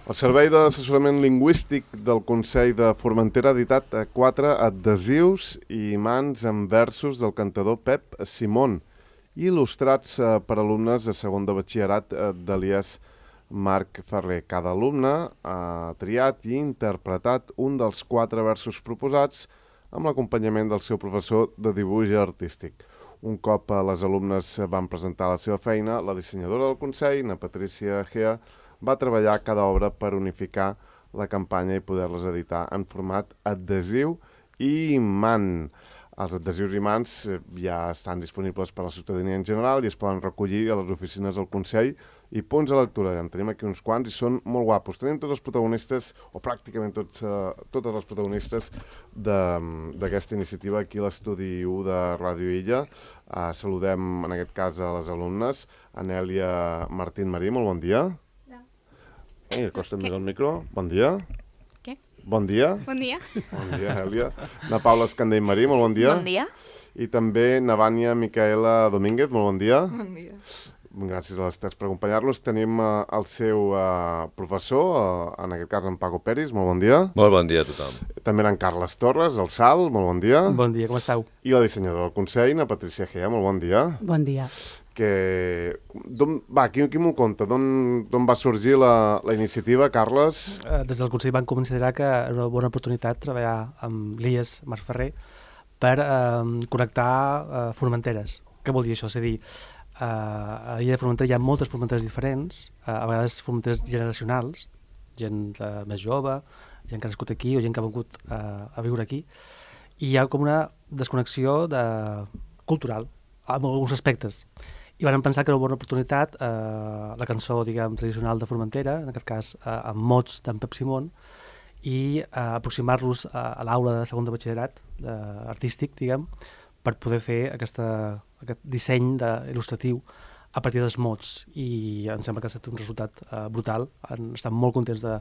El Servei d'Assessorament Lingüístic del Consell de Formentera ha editat 4 adhesius i imants amb versos del cantador Pep Simón, il·lustrats per alumnes de segon de batxillerat d'Elies Marc Ferrer. Cada alumne ha triat i interpretat un dels 4 versos proposats amb l'acompanyament del seu professor de dibuix artístic. Un cop les alumnes van presentar la seva feina, la dissenyadora del Consell, na Patricia Gea, va treballar cada obra per unificar la campanya i poder-les editar en format adhesiu i imant. Els adhesius i imants ja estan disponibles per a la ciutadania en general i es poden recollir a les oficines del Consell i punts de lectura. En tenim aquí uns quants i són molt guapos. Tenim tots els protagonistes, o pràcticament totes les protagonistes d'aquesta iniciativa aquí a l'estudi 1 de Ràdio Illa. Saludem en aquest cas a les alumnes. Anèlia Martín Marí, molt bon dia. Acosta't més al micro. Bon dia. Què? Bon dia. Bon dia. Bon dia, Èlia. Na Paula Escandell Marí, molt bon dia. Bon dia. I també na Vània Micaela Domínguez, molt bon dia. Bon dia. Gràcies a les tres per acompanyar-nos. Tenim el seu professor, en aquest cas en Paco Peris, molt bon dia. Molt bon dia a tothom. També en Carles Torres, el Sal, molt bon dia. Bon dia, com esteu? I la dissenyadora del Consell, na Patricia Gea, molt bon dia. Bon dia. Qui m'ho conta? D'on va sorgir la iniciativa, Carles? Des del Consell van considerar que era una bona oportunitat treballar amb l'IES Marc Ferrer per connectar formenteres. Què vol dir això? És a dir, a l'illa de Formentera hi ha moltes formenteres diferents, a vegades formenteres generacionals, gent més jove, gent que ha nascut aquí o gent que ha vingut a viure aquí, i hi ha com una desconnexió cultural en alguns aspectes. I van pensar que era una bona oportunitat la cançó, diguem, tradicional de Formentera, en aquest cas amb mots d'en Pep Simón, i aproximar-los a l'aula de segon de batxillerat artístic, diguem, per poder fer aquest disseny il·lustratiu a partir dels mots. I em sembla que ha estat un resultat brutal. Han estat molt contents de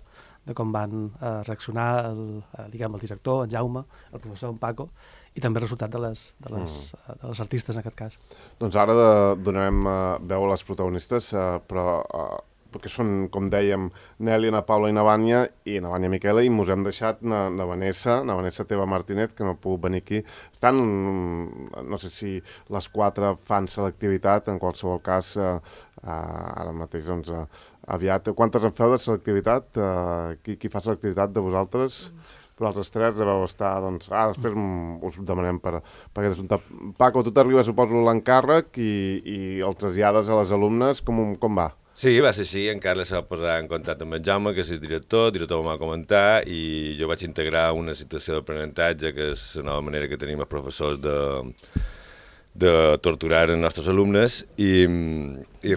com van reaccionar el director, en Jaume, el professor, en Paco, i també el resultat de les artistes en aquest cas. Doncs ara donarem veu a les protagonistes, però perquè són, com dèiem, Nèlia, na Paula i na Vània Miquela, i mos hem deixat na Vanessa Teva Martínez, que no ha pogut venir aquí. Estan, no sé si les 4 fan selectivitat, en qualsevol cas, ara mateix, doncs, aviat. Quantes en feu de selectivitat? Qui fa selectivitat de vosaltres? Però els estrets deveu estar, doncs... després us demanem per aquest assumpte. Paco, tu t'arriba, suposo, l'encàrrec i el trasllades a les alumnes. Com va? Sí, va ser així. En Carles se va posar en contacte amb en Jaume, que és el director em va comentar, i jo vaig integrar una situació d'aprenentatge, que és la nova manera que tenim els professors de torturar els nostres alumnes, i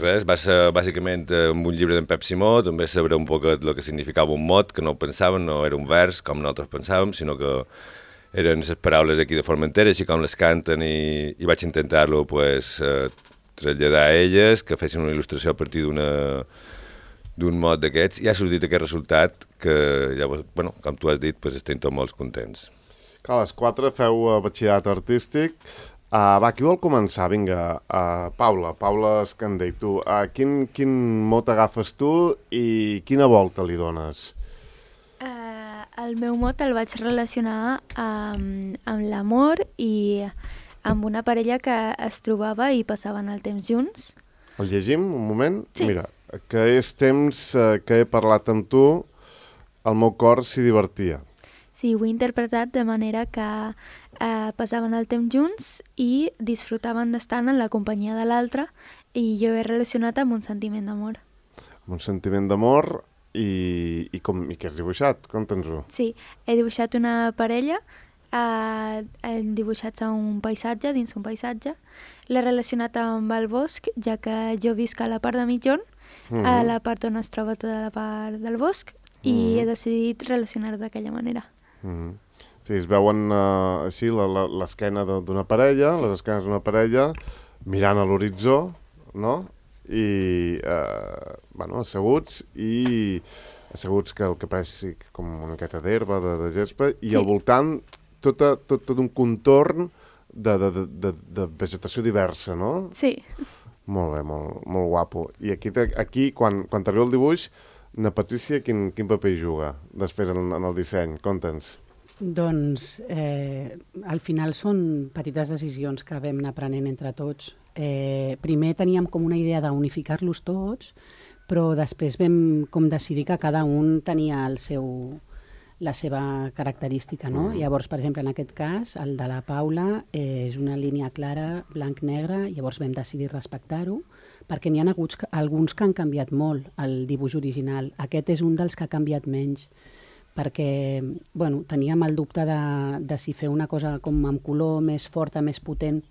res, va ser bàsicament amb un llibre d'en Pep Simó, també saber un poc el que significava un mot, que no ho pensàvem, no era un vers com nosaltres pensàvem, sinó que eren les paraules aquí de Formentera, així com les canten, i vaig intentar-lo, pues, traslladar a elles, que fessin una il·lustració a partir d'un mot d'aquests, i ha sortit aquest resultat que, llavors, bueno, com tu has dit, pues, estem tots molt contents. Clar, les 4 feu batxillerat artístic. Qui vol començar? Vinga, Paula Escandell, tu. Quin mot agafes tu i quina volta li dones? El meu mot el vaig relacionar amb l'amor i amb una parella que es trobava i passaven el temps junts. El llegim un moment? Sí. Mira, que és temps que he parlat amb tu, el meu cor s'hi divertia. Sí, ho he interpretat de manera que passaven el temps junts i disfrutaven d'estar en la companyia de l'altre, i jo he relacionat amb un sentiment d'amor. Un sentiment d'amor i què has dibuixat? Conta'ns-ho. Sí, he dibuixat una parella, hem dibuixat un paisatge, dins un paisatge. L'he relacionat amb el bosc, ja que jo visc a la part de migjorn, a la part on es troba tota la part del bosc, i he decidit relacionar-ho d'aquella manera. Sí, es veuen així l'esquena d'una parella, sí. Les esquenes d'una parella, mirant a l'horitzó, no? I, asseguts que el que pareix com una miqueta d'herba, de gespa, i al voltant tot un contorn de vegetació diversa, no? Sí. Molt bé, molt guapo. I aquí quan t'arriba el dibuix, Na Patrícia, quin paper hi juga després en el disseny? Conta'ns. Doncs al final són petites decisions que vam anar prenent entre tots. Primer teníem com una idea d'unificar-los tots, però després vam com decidir que cada un tenia la seva característica, no? Llavors, per exemple, en aquest cas, el de la Paula és una línia clara, blanc-negre, llavors vam decidir respectar-ho, perquè n'hi ha hagut alguns que han canviat molt el dibuix original. Aquest és un dels que ha canviat menys, perquè teníem el dubte de si fer una cosa com amb color més forta, més potent,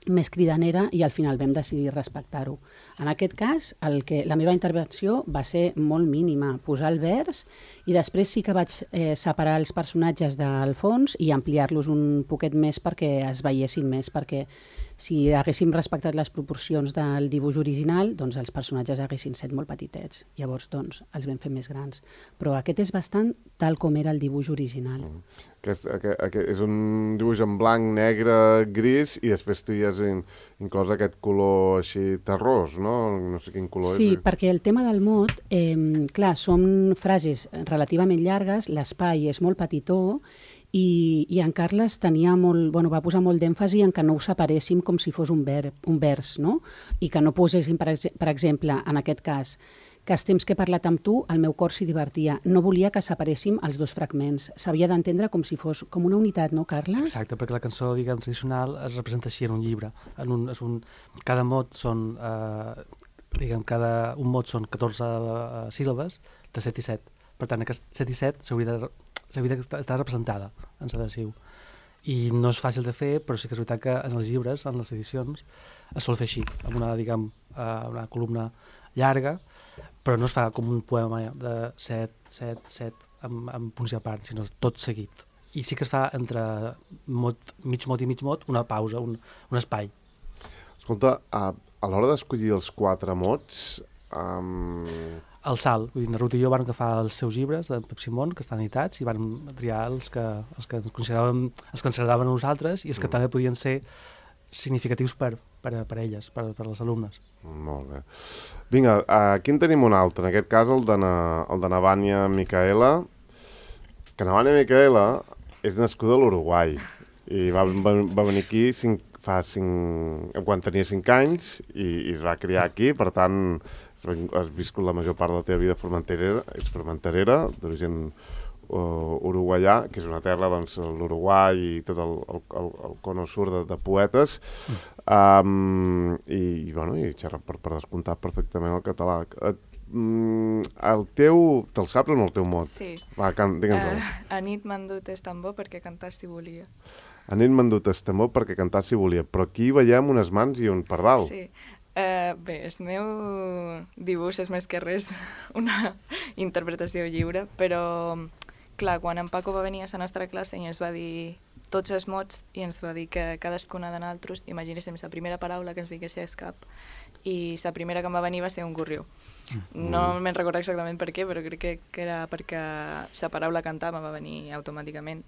més cridanera, i al final vam decidir respectar-ho. En aquest cas, la meva intervenció va ser molt mínima, posar el vers, i després sí que vaig separar els personatges del fons i ampliar-los un poquet més perquè es veiessin més, perquè si haguéssim respectat les proporcions del dibuix original, doncs els personatges haguessin set molt petitets. Llavors, doncs, els vam fer més grans. Però aquest és bastant tal com era el dibuix original. És un dibuix en blanc, negre, gris, i després tu hi has inclòs aquest color així terrós, no? No sé quin color és. Sí, perquè el tema del mot, clar, són frases relativament llargues, l'espai és molt petitó, i en Carles va posar molt d'èmfasi en que no ho separéssim com si fos un vers, no? I que no poséssim, per exemple, en aquest cas, que els temps que he parlat amb tu, el meu cor s'hi divertia. No volia que separéssim els dos fragments. S'havia d'entendre com si fos com una unitat, no, Carles? Exacte, perquè la cançó, diguem, tradicional es representa així en un llibre. Cada mot són, un mot són 14 síl·labes de 7 i 7. Per tant, aquest 7 i 7 s'hauria d'estar representada en adhesiu. I no és fàcil de fer, però sí que és veritat que en els llibres, en les edicions, es sol fer així, amb una columna llarga, però no es fa com un poema de 7, 7, 7, amb punts i a part, sinó tot seguit. I sí que es fa entre mig mot i mig mot una pausa, un espai. Escolta, a l'hora d'escollir els 4 mots... El salt, vull dir, na Ruth i jo vam agafar els seus llibres de Pep Simón, que estan editats, i vam triar els que ens agradaven a nosaltres i els que també podien ser significatius per elles, per les alumnes. Molt bé. Vinga, aquí en tenim un altre, en aquest cas el de na Vània Micaela, que na Vània Micaela és nascuda a l'Uruguai i va venir aquí quan tenia 5 anys i es va criar aquí, per tant has viscut la major part de la teva vida ets formenterera, d'origen uruguaià, que és una terra, doncs, l'Uruguai i tot el cono sur de poetes, i xerra per descomptar perfectament el català. Te'l saps o no, el teu mot? Sí. Va, digue'ns-el. Anit m'han dut el tambor perquè cantar si volia. Anit m'han dut el tambor perquè cantar si volia, però aquí veiem unes mans i un pardal. Sí. Bé, el meu dibuix és més que res una interpretació lliure, però, clar, quan en Paco va venir a la nostra classe i ens va dir tots els mots i ens va dir que cadascuna de nosaltres imaginéssim la primera paraula que ens vingués al cap, i la primera que em va venir va ser un gorrió. No me'n recordo exactament per què, però crec que era perquè la paraula cantar me va venir automàticament.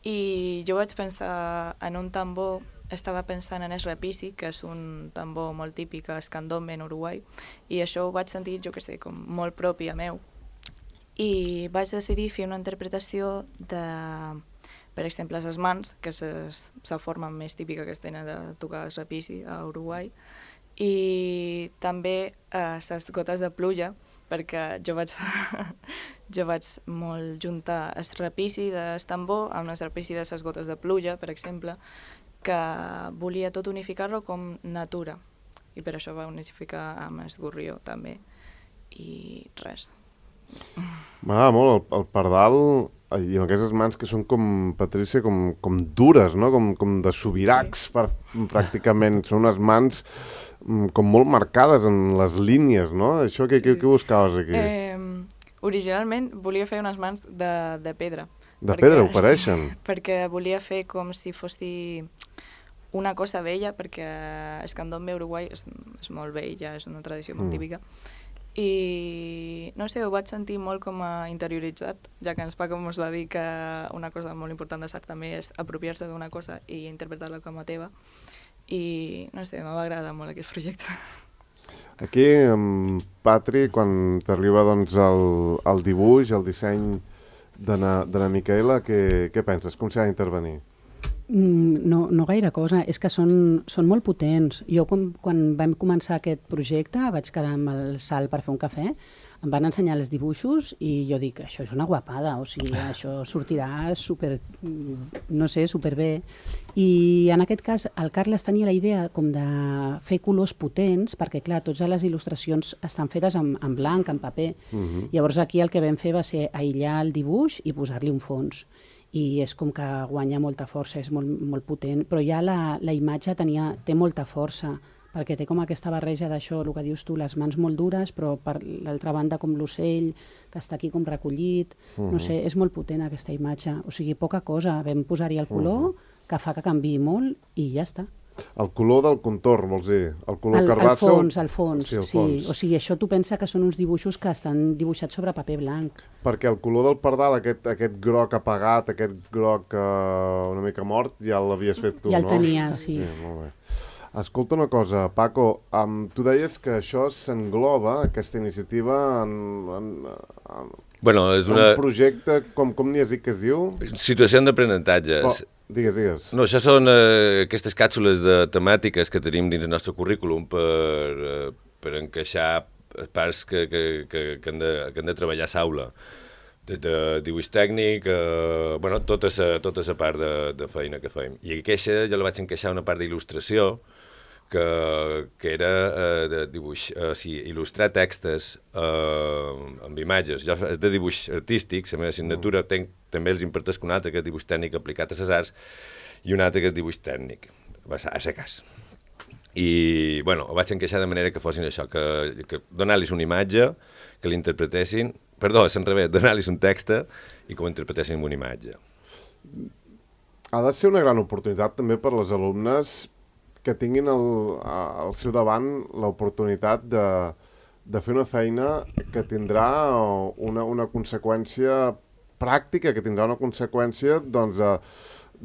I jo vaig pensar en un tambor. Estava pensant en el rapici, que és un tambor molt típic a Escandombe, en Uruguai, i això ho vaig sentir, jo que sé, com molt propi a meu. I vaig decidir fer una interpretació de, per exemple, les mans, que és la forma més típica que es tenen de tocar el rapici a Uruguai, i també les gotes de pluja, perquè jo vaig molt juntar el rapici del tambor amb el rapici de les gotes de pluja, per exemple, que volia tot unificar-lo com natura, i per això va unificar amb el gorrió també, i res. M'agrada molt el pardal, i amb aquestes mans que són com, Patrícia, com dures, no? Com de sobiracs, sí. Pràcticament. Són unes mans com molt marcades en les línies, no? Això què buscaves aquí? Originalment volia fer unes mans de pedra. De pedra, ho pareixen? Perquè volia fer com si fossi una cosa vella, perquè el candombe uruguai és molt vell, ja és una tradició molt típica. I no sé, ho vaig sentir molt com a interioritzat, ja que ens Paco ens va dir que una cosa molt important de l'art també és apropiar-se d'una cosa i interpretar-la com a teva. I no sé, m'ha agradat molt aquest projecte. Aquí, Patri, quan t'arriba doncs, el dibuix, el disseny de na Micaela, què penses? Com s'ha d'intervenir? No gaire cosa, és que són molt potents. Jo quan vam començar aquest projecte vaig quedar amb el Sal per fer un cafè, em van ensenyar els dibuixos i jo dic, això és una guapada, o sigui, això sortirà superbé. I en aquest cas el Carles tenia la idea com de fer colors potents, perquè clar, totes les il·lustracions estan fetes en blanc, en paper. Llavors aquí el que vam fer va ser aïllar el dibuix i posar-li un fons. I és com que guanya molta força, és molt potent, però ja la imatge té molta força, perquè té com aquesta barreja d'això, el que dius tu, les mans molt dures, però per l'altra banda com l'ocell, que està aquí com recollit, no sé, és molt potent aquesta imatge, o sigui, poca cosa, vam posar-hi el color, que fa que canviï molt i ja està. El color del contorn, vols dir? El color carbassa? El fons. Sí. O sigui, això tu pensa que són uns dibuixos que estan dibuixats sobre paper blanc. Perquè el color del pardal, aquest groc apagat, aquest groc una mica mort, ja l'havies fet tu, no? Ja el tenia, sí. Molt bé. Escolta una cosa, Paco, tu deies que això s'engloba, aquesta iniciativa, Bueno, és un projecte, com n'hi has dit que es diu? Situació d'aprenentatge. Digues. No, això són aquestes càpsules de temàtiques que tenim dins el nostre currículum per encaixar parts que han de treballar a l'aula. Des de dibuix tècnic, tota la part de feina que fem. I aquesta jo la vaig encaixar una part d'il·lustració, que era de dibuix, il·lustrar textos amb imatges. Jo és de dibuix artístic, la meva assignatura també els imparteix un altre que és dibuix tècnic aplicat a les arts i un altre que és dibuix tècnic, a ser cas. I, ho vaig encaixar de manera que fossin això, que donar-los una imatge, que l'interpretessin, donar-los un text i que ho interpretessin en una imatge. Ha de ser una gran oportunitat també per les alumnes que tinguin al seu davant l'oportunitat de fer una feina que tindrà una conseqüència pràctica, que tindrà una conseqüència, doncs,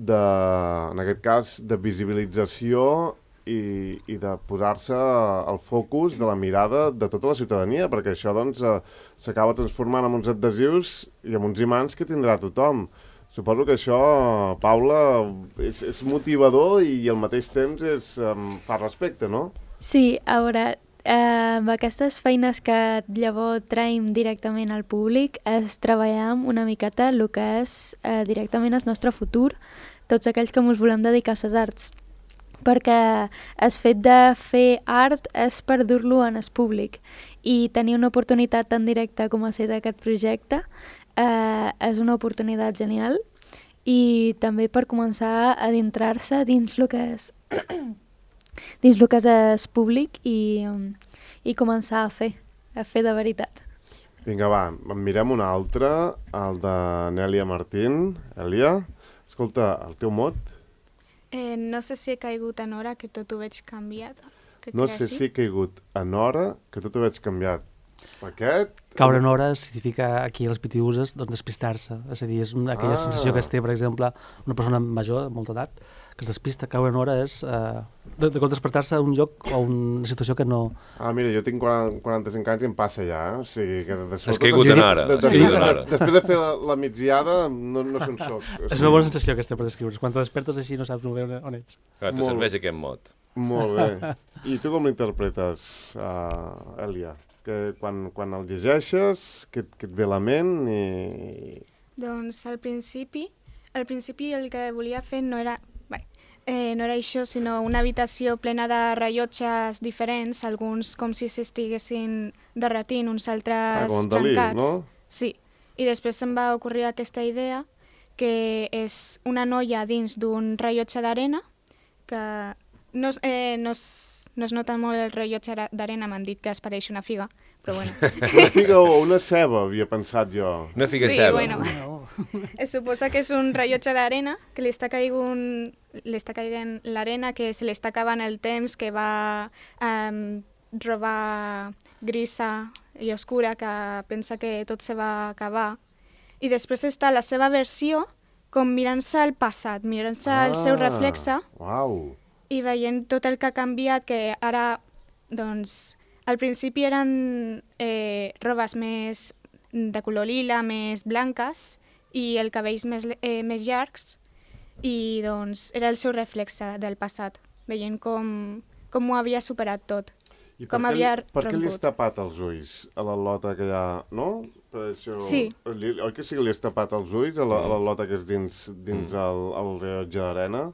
en aquest cas, de visibilització i de posar-se al focus de la mirada de tota la ciutadania, perquè això doncs, s'acaba transformant en uns adhesius i en uns imants que tindrà tothom. Suposo que això, Paula, és motivador i al mateix temps fa respecte, no? Sí, a veure, amb aquestes feines que llavors traiem directament al públic es treballem una miqueta el que és directament el nostre futur, tots aquells que ens volem dedicar a les arts. Perquè el fet de fer art és per dur-lo en el públic i tenir una oportunitat tan directa com ha estat aquest projecte és una oportunitat genial i també per començar a adentrar-se dins el que és el públic i començar a fer de veritat. Vinga, va, en mirem un altre, el de Nèlia Martín. Èlia, escolta, el teu mot? No sé si he caigut en hora, que tot ho veig canviat. No sé si he caigut en hora, que tot ho veig canviat. Caure en hora significa aquí els pitiuses despistar-se, és a dir, és aquella sensació que es té, per exemple, una persona major de molta edat que es despista. Caure en hora és de despertar-se a un lloc o una situació que no... Mira, jo tinc 45 anys i em passa ja, o sigui que... Has caigut en hora. Després de fer la migdiada no se'n soc. És una bona sensació aquesta per descriure. Quan te despertes així no saps molt bé on ets. Te serveix aquest mot. Molt bé. I tu com l'interpretes, Èlia? Que quan el llegeixes, que et ve a la ment i... Doncs al principi el que volia fer no era això, sinó una habitació plena de rellotges diferents, alguns com si s'estiguessin derretint, uns altres trencats. No? Sí, i després em va ocorrir aquesta idea, que és una noia dins d'un rellotge d'arena, que no es nota molt el rellotge d'arena, m'han dit que es pareix una figa, però bueno. Una figa o una ceba, havia pensat jo. Una figa ceba. Bueno. Es suposa que és un rellotge d'arena, que li està caigant l'arena, que se li està acabant el temps, que va robar grisa i oscura, que pensa que tot se va acabar. I després està la seva versió, com mirant-se al passat, mirant-se al seu reflexe. Uau! I veient tot el que ha canviat, que ara doncs, Al principi eren robes més de color lila, més blanques, i el cabells més llargs, i doncs era el seu reflexe del passat, veient com ho havia superat tot. I com per havia què li has romput. tapat els ulls a la lota que hi ha, no? Per això, Sí. Oi que sí que li has tapat els ulls a la lota que és dins el rellotge d'arena?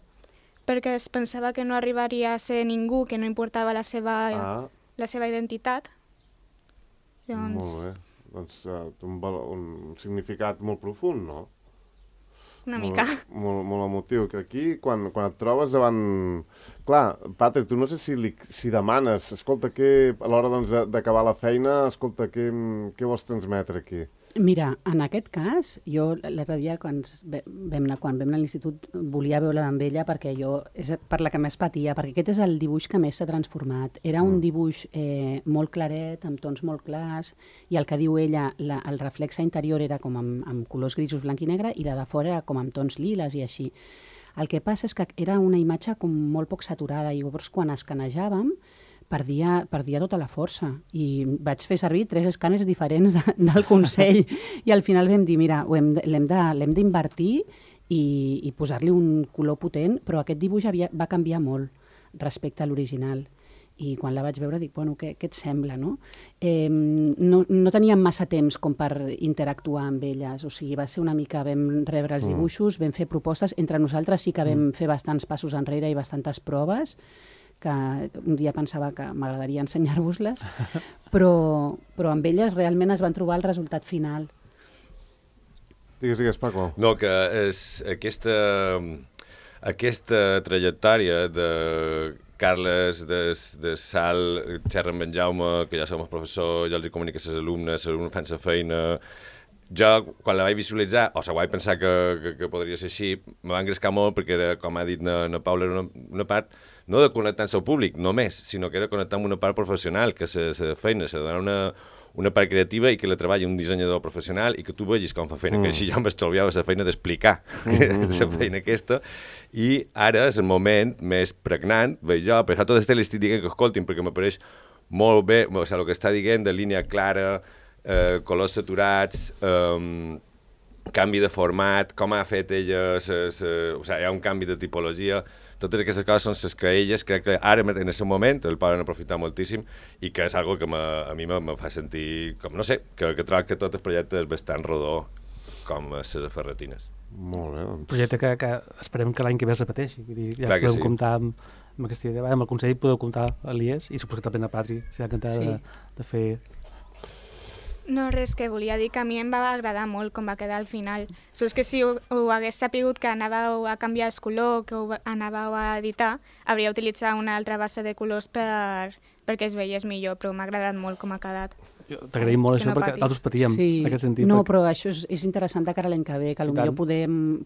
Perquè es pensava que no arribaria a ser ningú, que no importava la seva identitat. Molt bé. Doncs un significat molt profund, no? Una mica. Molt emotiu, que aquí, quan et trobes davant... Clar, Patrick, tu no sé si demanes, escolta, a l'hora d'acabar la feina, escolta, què vols transmetre aquí? Mira, en aquest cas, jo l'altre dia quan vam anar a l'institut volia veure-la amb ella perquè és per la que més patia, perquè aquest és el dibuix que més s'ha transformat. Era un dibuix molt claret, amb tons molt clars, i el que diu ella, el reflexe interior era com amb colors grisos, blanc i negre, i la de fora era com amb tons liles i així. El que passa és que era una imatge com molt poc saturada, i llavors quan escanejàvem perdia tota la força, i vaig fer servir 3 escàners diferents del Consell, i al final vam dir, mira, l'hem d'invertir i posar-li un color potent, però aquest dibuix va canviar molt respecte a l'original. I quan la vaig veure dic, bueno, què et sembla, no? No teníem massa temps com per interactuar amb elles, o sigui, va ser una mica, vam rebre els dibuixos, vam fer propostes, entre nosaltres sí que vam fer bastants passos enrere i bastantes proves, que un dia pensava que m'agradaria ensenyar-vos-les, però amb elles realment es van trobar el resultat final. Digues, Paco. No, que és aquesta trajectòria de Carles, de Sal, xerra amb en Jaume, que ja som els professors, ja els comunica a les alumnes fan la feina. Jo, quan la vaig visualitzar, o sigui, vaig pensar que podria ser així, me va engrescar molt perquè era, com ha dit na Paula, era una part no de connectar amb el públic només, sinó que era connectar amb una part professional, que la feina s'ha de donar una part creativa i que la treballi un dissenyador professional i que tu vegis com fa feina, que així jo m'estalviava la feina d'explicar la feina aquesta. I ara és el moment més pregnant, veig jo, per això tot l'estat l'estic dient que escoltin, perquè m'apareix molt bé, o sigui, el que està dient de línia clara, colors saturats, canvi de format, com ha fet ella, o sigui, hi ha un canvi de tipologia. Totes aquestes coses són les que elles, crec que ara, en aquest moment, el poden aprofitar moltíssim i que és una que a mi me fa sentir, com no sé, que trobo que tot el projecte és bastant rodó, com les ferretines. Molt bé, doncs. Un projecte que esperem que l'any que ve es repeteixi. Ja podem comptar amb aquesta idea. Amb el Consell podeu comptar a l'IES i suposo que també a Patri, si ha encantada de fer... No, res, que volia dir que a mi em va agradar molt com va quedar al final. Sols que si ho hagués sapigut que anàveu a canviar el color, que ho anàveu a editar, hauria utilitzat una altra base de colors perquè es veiés millor, però m'ha agradat molt com ha quedat. T'agraïm molt això perquè nosaltres patíem en aquest sentit. No, però això és interessant de cara a l'any que ve, que potser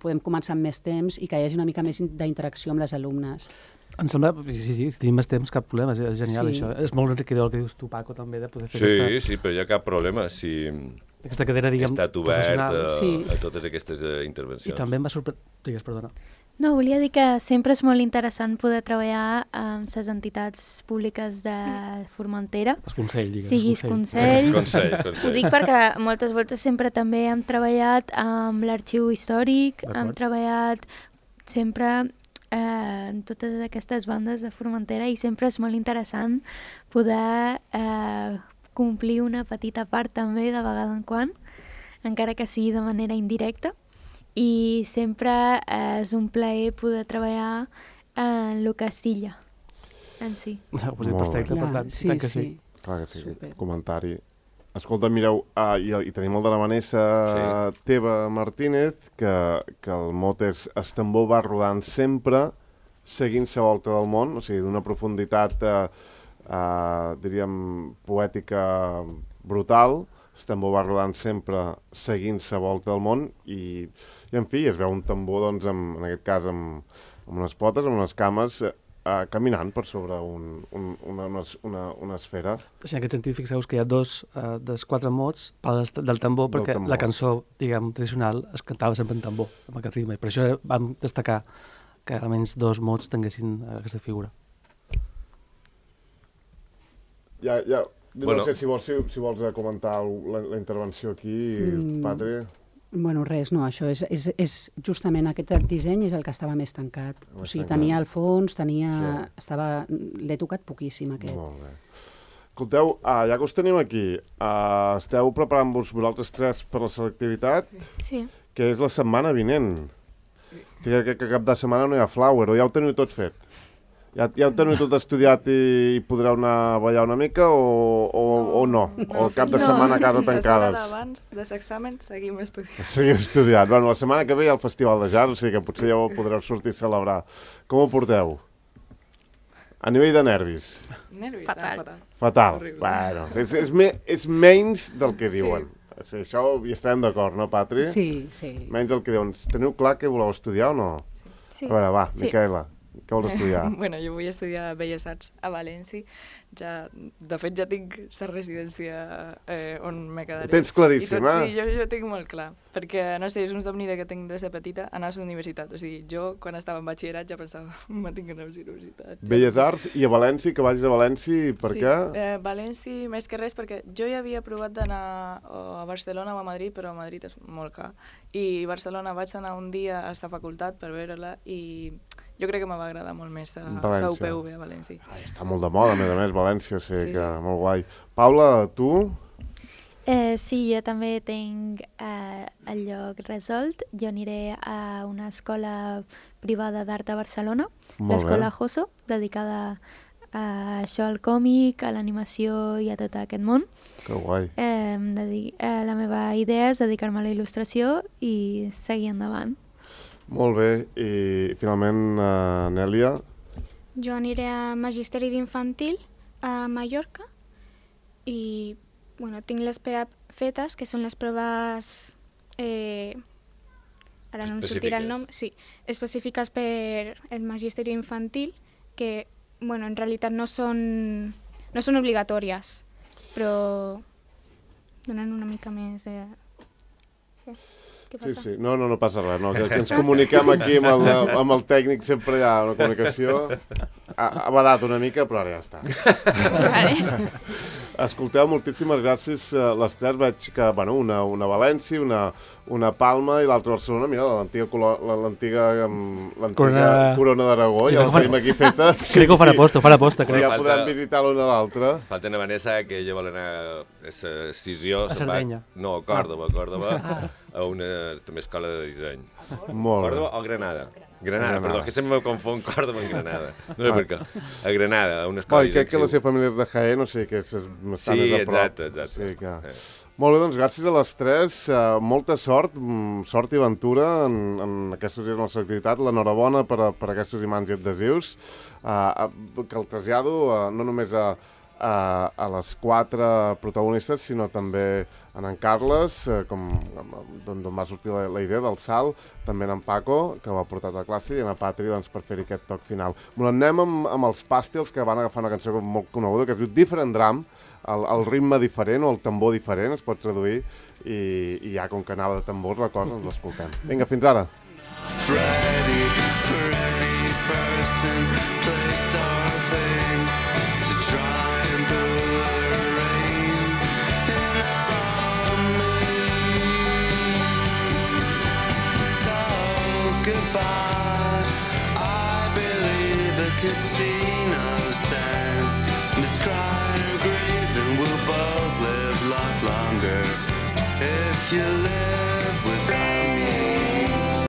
podem començar amb més temps i que hi hagi una mica més d'interacció amb les alumnes. Em sembla, sí, si tenim més temps, cap problema, és genial això. És molt enriquidor el que dius tu, Paco, també, de poder fer aquesta... Sí, però hi ha cap problema si aquesta cadera, diguem, ha estat obert professional. a totes aquestes intervencions. I també em va sorprendre... Digues, perdona. No, volia dir que sempre és molt interessant poder treballar amb les entitats públiques de Formentera. El Consell, digues. Siguis Consell. Consell. Ho dic perquè moltes voltes sempre també hem treballat amb l'Arxiu Històric, hem treballat sempre en totes aquestes bandes de Formentera i sempre és molt interessant poder complir una petita part també de vegada en quan, encara que sigui de manera indirecta, i sempre és un plaer poder treballar en el que és Silla en si. Perfecte, per tant, sí, que sí. Clar que sí, Super. comentari. Escolta, mireu, i tenim el de la Vanessa Teva Martínez, que el mot és "El tambor va rodant sempre, seguint la volta del món", o sigui, d'una profunditat, diríem, poètica brutal. El tambor va rodant sempre, seguint la volta del món, i en fi, es veu un tambor, doncs, en aquest cas, amb unes potes, amb unes cames, caminant per sobre una esfera. Sí, en aquest sentit, fixeu-vos que hi ha dos dels 4 mots del tambor, perquè la cançó, diguem, tradicional es cantava sempre en tambor, amb aquest ritme, i per això vam destacar que almenys 2 mots tinguessin aquesta figura. No sé si vols comentar la intervenció aquí, Patri. Bueno, res, no, això és justament aquest disseny és el que estava més tancat. O sigui, tenia el fons, l'he tocat poquíssim, aquest. Molt bé. Escolteu, ja que us tenim aquí, esteu preparant-vos vosaltres tres per la selectivitat? Sí. Que és la setmana vinent. Sí. O sigui que cap de setmana no hi ha flower, o ja ho teniu tot fet? Ja ho teniu tot estudiat i podreu anar a ballar una mica o no? O cap de setmana a casa tancades? La setmana abans dels exàmens seguim estudiant. Seguim estudiant. Bueno, la setmana que ve hi ha el Festival de Jazz, o sigui que potser ja ho podreu sortir a celebrar. Com ho porteu? A nivell de nervis? Nervis? Fatal. Fatal. Horrible. Bueno, és menys del que diuen. Sí, això hi estarem d'acord, no, Patri? Sí. Menys del que diuen. Teniu clar que voleu estudiar o no? Sí. A veure, va, Sí. Micaela, què vols estudiar? Bueno, jo vull estudiar Belles Arts a València. De fet, ja tinc la residència on me quedaré. Ho tens claríssim, Sí, jo tinc molt clar. Perquè, no sé, és un somni que tinc de ser petita, anar a la universitat. O sigui, jo, quan estava en batxillerat, ja pensava, me tinc que anar a la universitat. Belles Arts i a València, que vagis a València, per què? València, més que res, perquè jo ja havia provat d'anar a Barcelona o a Madrid, però a Madrid és molt car. I a Barcelona vaig anar un dia a la facultat per veure-la i jo crec que me va agradar molt més la UPV a València. Està molt de moda, a més, València, o sigui que Sí. molt guai. Paula, tu? Sí, jo també tinc el lloc resolt. Jo aniré a una escola privada d'art a Barcelona, Molt l'escola bé. Joso, dedicada a això, al còmic, a l'animació i a tot aquest món. Que guai. La meva idea és dedicar-me a la il·lustració i seguir endavant. Molt bé. I finalment, Nèlia? Jo aniré a Magisteri d'Infantil a Mallorca i bueno, tinc les PEAP fetes, que són les proves... ara no em sortirà el nom. Sí, específiques per el Magisteri Infantil, que bueno, en realitat no són obligatòries, però donen una mica més de... Què passa? Sí. No passa res. No. Que ens comuniquem aquí amb el tècnic, sempre hi ha una comunicació. Ha badat una mica, però ara ja està. Vale. Escolteu, moltíssimes gràcies. Les tres veig que, bueno, una a València, una a Palma i l'altra a Barcelona. Mira, l'antiga Corona d'Aragó, ja la tenim aquí feta. Crec que ho farà aposta, crec. Ja podran visitar l'una a l'altra. Falta una Vanessa, que ella vol anar a Sissió. A Sardenya. No, a Còrdoba, a una també escola de disseny. Molt bé. Còrdoba o Granada? Granada, perdó, que sempre me confon Còrdoba amb Granada. No sé per què. A Granada, a una escola de disseny. Crec que la seva família és de Jaén, o sigui que està més a prop. Exacte. Sí, que... Molt bé, doncs gràcies a les tres. Molta sort i aventura en aquests dies de la selectivitat. L'enhorabona per aquests imants i adhesius. Que el trasllado no només a les quatre protagonistes, sinó també en Carles, d'on va sortir la idea del salt, també en Paco, que ho ha portat a classe, i en Patri per fer-hi aquest toc final. Anem amb els Pàstils, que van agafar una cançó molt coneguda, que es diu Different Drum, el ritme diferent o el tambor diferent, es pot traduir, i ja com que anava de tambors la cosa, ens l'escoltem. Vinga, fins ara. Ready for any person, place or thing to try and put rain on me. So goodbye, I believe the kiss